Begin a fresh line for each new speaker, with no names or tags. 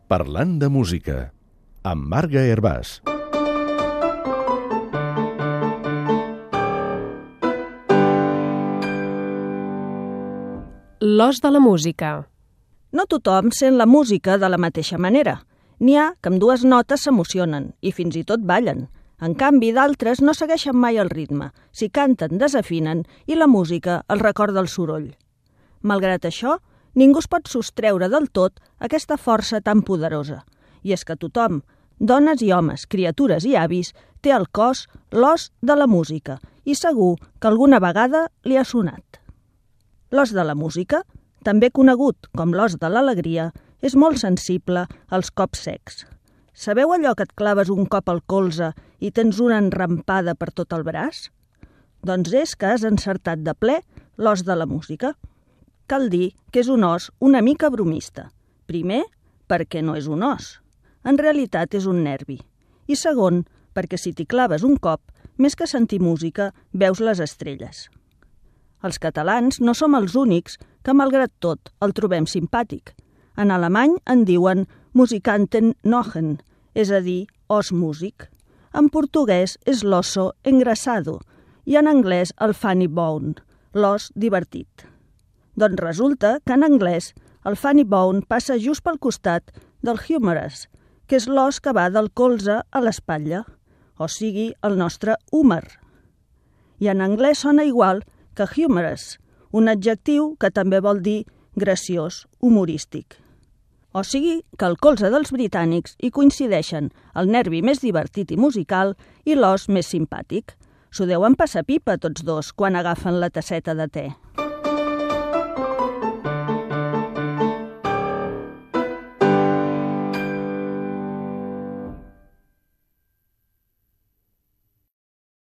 Parlant de música, amb Marga Hervàs.
L'os de la música.
No tothom sent la música de la mateixa manera. N'hi ha que amb dues notes s'emocionen i fins i tot ballen. En canvi, d'altres no segueixen mai el ritme. Si canten, desafinen i la música els recorda el soroll. Malgrat això, ningú es pot sostreure del tot aquesta força tan poderosa. I és que tothom, dones i homes, criatures i avis, té al cos l'os de la música i segur que alguna vegada li ha sonat. L'os de la música, també conegut com l'os de l'alegria, és molt sensible als cops secs. Sabeu allò que et claves un cop al colze i tens una enrampada per tot el braç? Doncs és que has encertat de ple l'os de la música. Cal dir que és un os una mica bromista. Primer, perquè no és un os. En realitat és un nervi. I segon, perquè si t'hi claves un cop, més que sentir música, veus les estrelles. Els catalans no som els únics que, malgrat tot, el trobem simpàtic. En alemany en diuen Musikantennochen, és a dir, os músic. En portuguès és l'osso engrasado i en anglès el funny bone, l'os divertit. Doncs resulta que en anglès el funny bone passa just pel costat del humerus, que és l'os que va del colze a l'espatlla, o sigui, el nostre húmer. I en anglès sona igual que humorous, un adjectiu que també vol dir graciós, humorístic. O sigui que al colze dels britànics hi coincideixen el nervi més divertit i musical i l'os més simpàtic. S'ho deuen passar pipa tots dos quan agafen la tasseta de te.